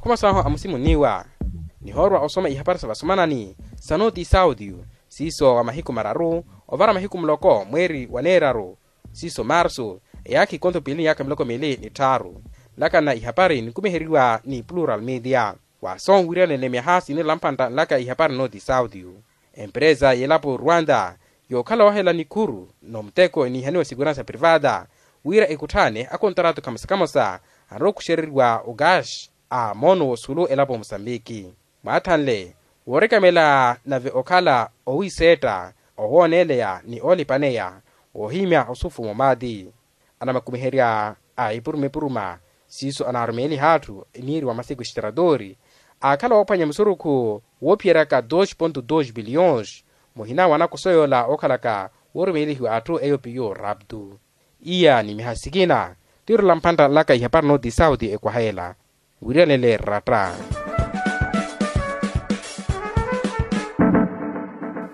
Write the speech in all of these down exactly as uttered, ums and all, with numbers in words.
Mmosa ahu amusimunniwa nihoorwa osoma ihapari sa vasomanani sa noti saudio, siiso wa mahiku mararu ovara mahiku muloko mweeri wa neeraru, siiso marsu, eyaakha ikonto piili ni yaakha miloko miili ni tthaaru. Nlakana ihapari ninkumiheriwa ni plural media. Waaso nwiryanene myaha sinirela mpantta nlaka ihapari noti saudio. Emperesa y'elapo rwanda yookhala woohela nikhuru n'omuteko eniihaniwa sikuransa privata wira ekutthaane akontaratu kamosa kamosa anrowa okuxereriwa okaxi a moono w'osulu elapo musambiki. Mwaathanle woorekamela nave okhala owiseetta owooneleya ni oolipaneya woohimya osufumo maati. Anamakumiherya a ipuruma ipuruma siiso anaarumeeliha atthu eniiriwa masiku extratori aakhala woophwanya musurukhu woophiyeryaka dos ponto dos biliyons muhina wa nakoso yoola ookhalaka woorumeelihiwa atthu eyo piyo raptu. Iya ni miha sikina tiirula mphantta nlaka ihapari noti sauti ekwaha ela wiriyanele ratta.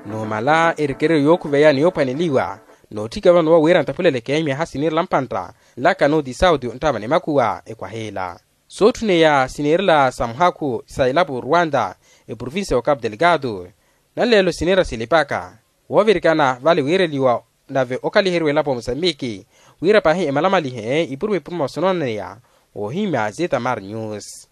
Numala erekeryo yookhuveya ni yoophwaneliwa nootthika vano wa wira ntaphuleleke miyaha siniirela mpantta nlaka noti sauti onttava ni makhuwa ekwaha ela. Sootthuneya siniirela sa muhakhu sa elapo rwanda eprovincia wa capu delgado nanleelo siniira silipaka woovirikana vale wiireliwa nave okhaliheriwa elapo musambiki wira paahi emalamalihe ipuruma ipuruma osonooneya woohimya zitamar news.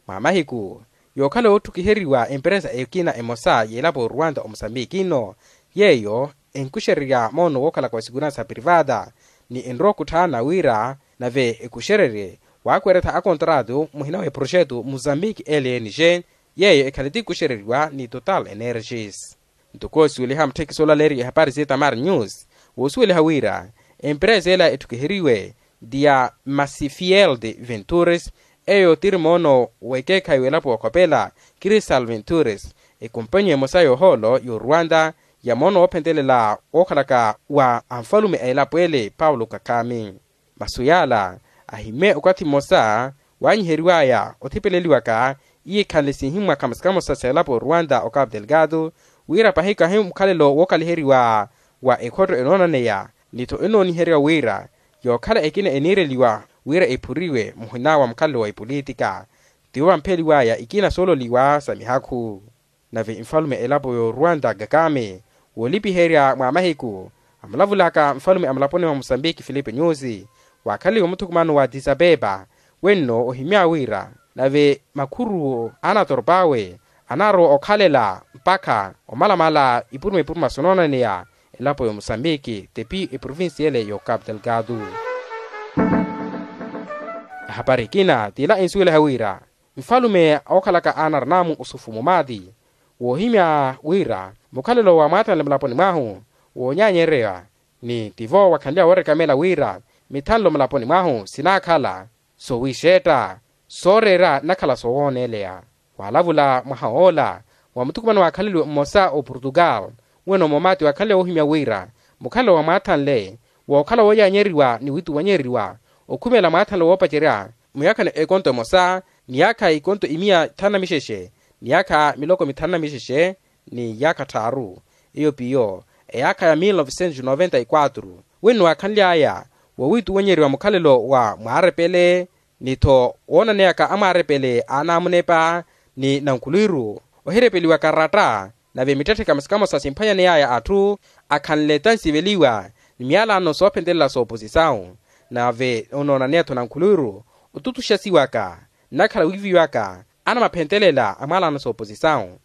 Mwa mahiku yookhala wootthukhiheriwa emperesa ekina emosa y'elapo rwanda omusambiki nno yeeyo enkuxererya moono wookhalaka wa sikuransa privata ni enrowa okhutthaana wira nave ekuxererye waakweretha akontratu muhina w'eproxetu musambiki lng yeeyo ekhale tikuxereriwa ni total energies. Ntuku osuweliha mutthekiso olaleeriwa ehapari zitamar news woosuweliha wira emperesa ela etthukiheriwe ti ya masifield ventures eyo tiri moono w'ekeekhayi w'elapo wookhopela cristal ventures ekompanyi emosa y'ohoolo y'orwanda ya moono woophentelela wookhalaka wa anfalume a elapo ele paulo kakhami. Masu yaala ahimmye okathi mmosa waanyiheriwaya othipeleliwaka iye ekhanle sinhimwa kamosa kamosa sa elapo rwanda o capu delgado wira pahi kahi mukhalelo wookaliheriwa wa ekhotto enoonaneya ni-tho enooniherya wira yookhala ekina eniireliwa wira ephuriwe muhina wa mukhalelo wa epolitika tivo vampheliwaya ikina soololiwa sa mihakhu. Nave nfalume a elapo y'orwanda kakame woolipiherya mwa mahiku amulavulaka nfalume a mulaponi mwa musambiki filipe nyusi waakhalaliwe muthukumano wa addis abeba wenno ohimya wira nave makhuru a anatoropaawe anaarowa okhalela mpakha omalamala ipuruma ipuruma sonoonaneya elapo y'omusambiki tepi eprovincia ele y'ocapu delgado. Ehapari ekina t'ila ensuweliha wira nfalume ookhalaka a anarinamu osufumo maati woohimya wira mukhalelo wa mwaathanle mulaponi mwahu woonyaanyereya ni tivo wakhanliya woorekamela wira mithanlo mulaponi mwahu sinaakhala soowiixetta sooreera nakhala soowooneleya. Waalavula mwaha woola wa muthukumano waakhaleliwe mmosa oportugal weno moomaati waakhanle woohimya wira mukhalelo wa mwaathanle wookhala wooyaanyeriwa ni wiituwanyeriwa okhumela mwaathanle woopacerya muyaakhani ekonto emosa ni yaakha ikonto imiya thanu na mixexe ni yaakha miloko mithanu na mixexe ni yaakha tthaaru eyo piyo eyaakha ya mil novecentos noventa y quatro wino waakhanly'aya wowiituwanyeriwa mukhalelo wa mwaarepele ni-tho woonaneyaka amwaarepele a anaamunepa ni nankhulwiru ohirepeliwaka ratta nave mittetthe kamosa kamosa simphwanyaney'aya atthu akhanle tansiveliwa ni myaalaano soophentelela sooposisawu nave onoonaneya-tho nankhulwiru otutuxasiwaka nnakhala wiiviwaka anamaphentelela a mwaalaano sooposisawu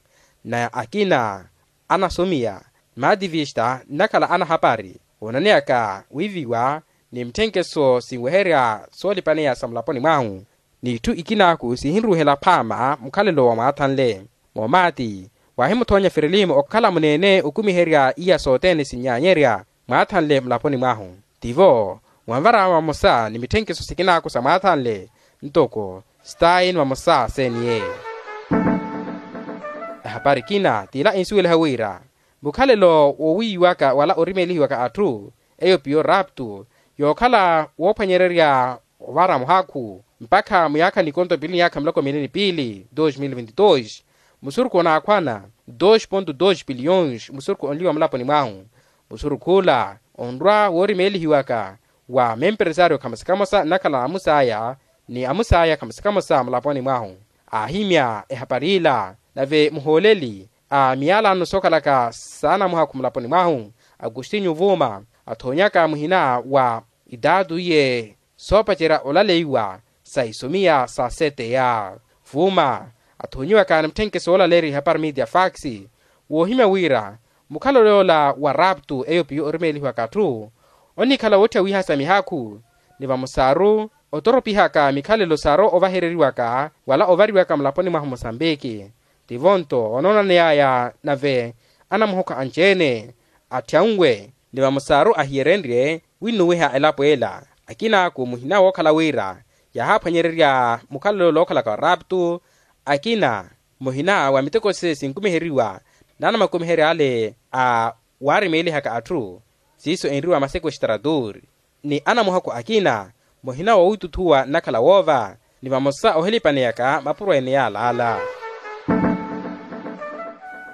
na akina anasomiya ni maativista nnakhala anahapari woonaneyaka wiiviwa ni mitthenkeso sinweherya soolipaneya sa mulaponi mwahu n'itthu ikinaaku sihinruuhela phaama mukhalelo wa mwaathanle. Moomaati waahimuthoonya firilimu okhala muneene okumiherya iya sothene sinyaanyerya mwaathanle mulaponi mwahu tivo mwanvara vamosa ni mitthenkiso sikinaaku sa mwaathanle ntoko staini vamosa seniye. Ehapari ekina t'ila ensuweliha wira mukhalelo woowiiwaka wala orimeelihiwaka atthu eyo piyo raptu yookhala woophwanyererya ovara muhakhu mpakha muyaakha nikonto piili ni yaakha miloko miili ni piili dos mil vinte dos musurukhu onaakhwana dos ponto dos biliyons musurukhu onliwa mulaponi mwahu musurukh'ula onrwa woorimeelihiwaka wa memperesario khamosa khamosa nnakhala na amus'aya ni amus'aya khamosa khamosa mulaponi mwahu aahimya ehapari ila. Nave muhooleli a miyalano sookhalaka saana muhakhu mulaponi mwahu, agustinyu vuuma, athoonyaka muhina wa itaatu iye soopacerya olaleiwa sa isomiya sa seteya. Vuuma athoonyiwaka ni mutthenke soolaleerya ihapari media fax, woohimya wira mukhalelo yoola wa raptu eyo piyo orimeelihiwaka atthu, onikhala wootthiya wiihasa mihaakhu ni vamosaru otoropihaka mikhalelo saru ovahereriwaka wala ovariwaka mulaponi mwahu musambiki. Tivo nto onoonaneyaya nave anamuhokha anci-ene atthyanwe ni vamosaru ahiyerenrye winnuwiha elapo ela. Akinaaku muhina wookhala wira yaahaphwanyererya mukhalelo lookhalaka wa raptu, akina muhina wa miteko se sinkumiheriwa n'anamakumiherya ale a waarimeelihaka atthu, siiso enriwa masekwestaratur, ni anamuhakhu akina muhina wowituthuwa nnakhala woova ni vamosa ohilipaneyaka mapuro ene yaalaala.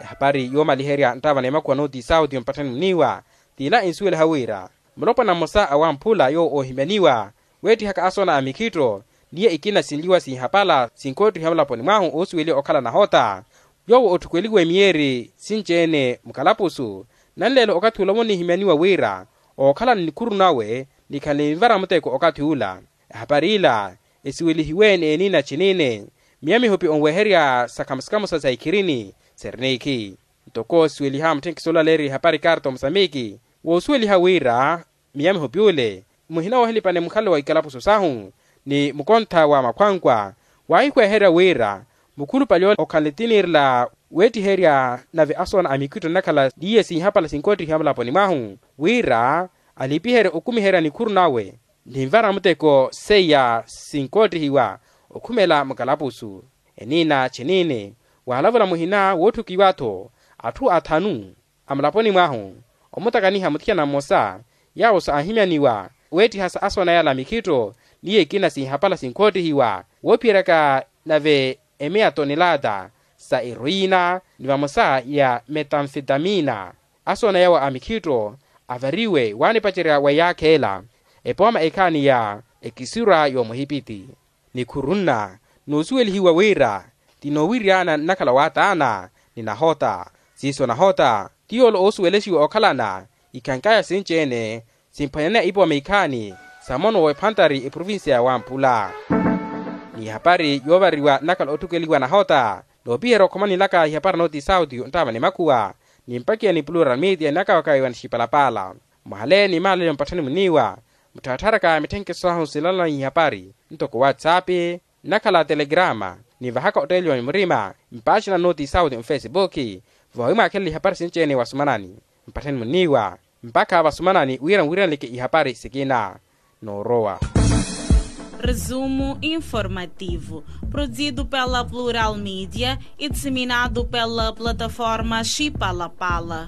Ehapari yoomaliherya nttaava na emakuwa nooti sauti mpatthani muniiwa, t'ila ensuweliha wira mulopwana mmosa a wamphula yoowo oohimyaniwa weettihaka asoona a mikhitto, niye ikina sinliwa sinhapala sinkoottihiwa mulaponi mwahu oosuweliwa okhala nahota, yoowo otthukweliwe miyeeri sinci-ene mukalapusu. Nanleelo okathi ula wonihimyaniwa wira ookhala ni nikhuru nawe nikhanle ninvara muteko okathi ula. Ehapari ila esiwelihiwe n'enina cinine miya mihupi onweherya sa khamusa-khamusa sa ikhirini, sernikhi. Ntoko siweliha mutthenke soolaleerya ihapari karta omusamiki woosuweliha wira miya mihupi ule muhina woohilipane mukhalelo wa ikalapusu sahu ni mukontha wa makhwankwa, waahihweherya wira mukhulupale ole okhanle tiniirela weettiherya nave asoona a mikhitto nnakhala n'iye sinhapala sinkoottihiwa mulaponi mwahu, wira alipiherye okumiherya nikhuru nawe ninvara muteko seiya sinkoottihiwa okhumela mukalapusu. Enina cinine waalavula muhina wootthukiwa-tho atthu athanu a mulaponi mwahu omutakaniha muthiyana mmosa yaawo saahimyaniwa weettihasa asoona yala mikhitto n'iye ikina sinhapala sinkoottihiwa woophiyeryaka nave emeya tonelata sa eroyina ni vamosa ya metanfetamina. Asoona yawo a mikhitto avariwe waanipacerya wa yaakha ela epooma ekhaani ya ekisura y'omuhipiti. Nikhuru nna noosuwelihiwa wira ti noowiryana nnakhala waataana ni nahota. Siiso nahota ti yoole oosuwelexiwa okhalana ikhankaya sinci-ene simphwanyaneya ipooma ikhaani sa mono w'ephantari eprovincia ya wampula. N'ihapari yoovariwa nnakhala otthukeliwa nahota noopiherya okhoma nilaka ihapari nooti sauti onttaava ni makhuwa ni mpakiya ni plural media nnakawakawiwa ni xipalapala. Mwahale ni maalelo mpatthani muniiwa mutthaatthaaraka mitthenkeso sahu silalana ihapari ntoko whatsapp nnakhala telegrama ni vahaka otteeliwa ni murima mpaaxina nooti sauti mfesipuki voohimwaakhelela ihapari sinci-ene wasumanani mpatthani muniiwa mpakha vasumanani wira nwiriyaneleke ihapari sikina. Noorowa. Resumo informativo, produzido pela Plural Mídia e disseminado pela plataforma Chipalapala.